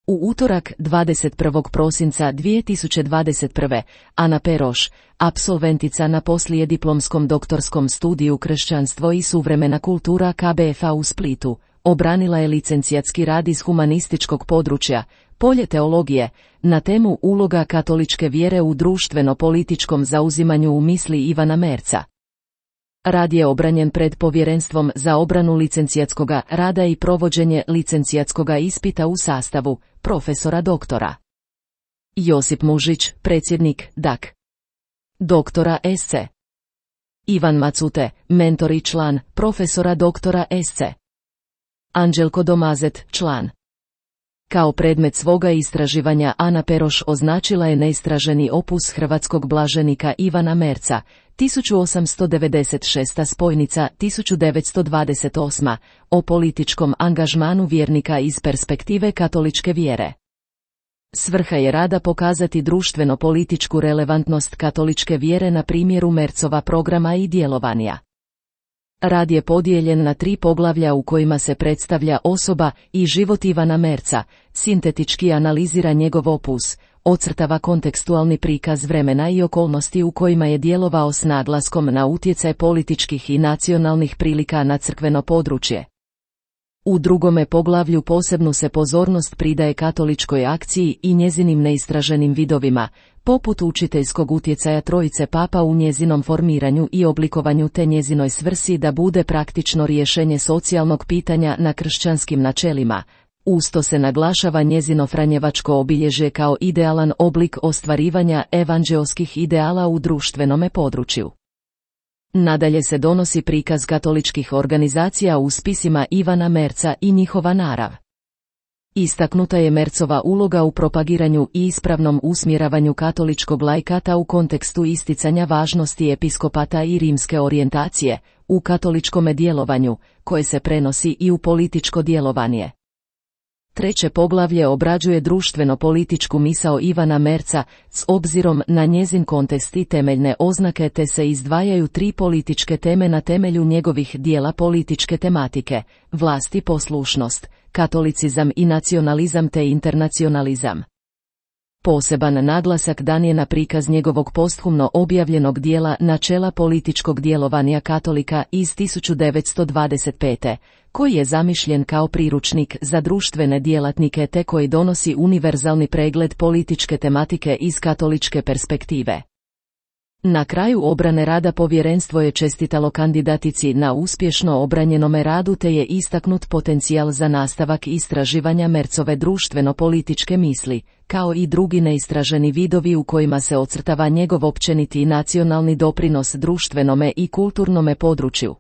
U utorak 21. prosinca 2021. Ana Peroš, apsolventica na poslijediplomskom doktorskom studiju Kršćanstvo i suvremena kultura KBF-a u Splitu, obranila je licencijatski rad iz humanističkog područja, polje teologije, na temu uloga katoličke vjere u društveno-političkom zauzimanju u misli Ivana Merca. Rad je obranjen pred Povjerenstvom za obranu licencijatskoga rada i provođenje licencijatskoga ispita u sastavu profesora doktora Josip Mužić, predsjednik DAK. Doktora SC. Ivan Macute, mentor i član, profesora doktora SC. Anđelko Domazet, član. Kao predmet svoga istraživanja Ana Peroš označila je neistraženi opus hrvatskog blaženika Ivana Merca, 1896. spojnica 1928. o političkom angažmanu vjernika iz perspektive katoličke vjere. Svrha je rada pokazati društveno-političku relevantnost katoličke vjere na primjeru Mercova programa i djelovanja. Rad je podijeljen na 3 poglavlja u kojima se predstavlja osoba i život Ivana Merca, sintetički analizira njegov opus, ocrtava kontekstualni prikaz vremena i okolnosti u kojima je djelovao s naglaskom na utjecaj političkih i nacionalnih prilika na crkveno područje. U drugome poglavlju posebnu se pozornost pridaje katoličkoj akciji i njezinim neistraženim vidovima, poput učiteljskog utjecaja trojice papa u njezinom formiranju i oblikovanju te njezinoj svrsi da bude praktično rješenje socijalnog pitanja na kršćanskim načelima. Usto se naglašava njezino franjevačko obilježje kao idealan oblik ostvarivanja evanđeoskih ideala u društvenome području. Nadalje se donosi prikaz katoličkih organizacija u spisima Ivana Merca i njihova narav. Istaknuta je Mercova uloga u propagiranju i ispravnom usmjeravanju katoličkog laikata u kontekstu isticanja važnosti episkopata i rimske orijentacije, u katoličkome djelovanju, koje se prenosi i u političko djelovanje. Treće poglavlje obrađuje društveno-političku misao Ivana Merca s obzirom na njezin kontekst i temeljne oznake te se izdvajaju 3 političke teme na temelju njegovih dijela političke tematike, vlast i poslušnost, katolicizam i nacionalizam te internacionalizam. Poseban naglasak dan je na prikaz njegovog posthumno objavljenog dijela Načela političkog djelovanja katolika iz 1925. koji je zamišljen kao priručnik za društvene djelatnike te koji donosi univerzalni pregled političke tematike iz katoličke perspektive. Na kraju obrane rada povjerenstvo je čestitalo kandidatici na uspješno obranjenome radu te je istaknut potencijal za nastavak istraživanja Mercove društveno-političke misli, kao i drugi neistraženi vidovi u kojima se ocrtava njegov općeniti nacionalni doprinos društvenome i kulturnome području.